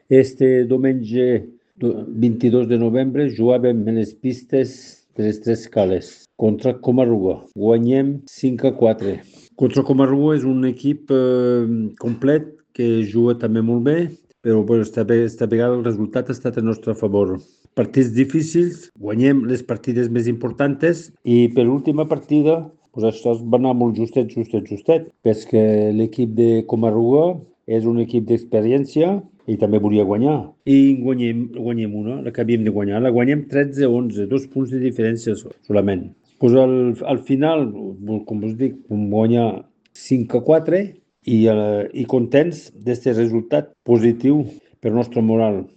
Este diumenge 22 de novembre jugàvem en les pistes de les Tres Cales contra Comarruga. Guanyem 5-4. Contra Comarruga és un equip complet que juga també molt bé, però esta vegada el resultat ha estat a nostre favor. Partits difícils, guanyem les partides més importants i per l'última partida això va anar molt justet, perquè l'equip de Comarruga és un equip d'experiència i també volia guanyar. I guanyem una, la que havíem de guanyar. La guanyem 13-11, 2 punts de diferència solament. Pues al final, com us dic, vam guanyar 5-4 i contents d'aquest resultat positiu per nostre moral.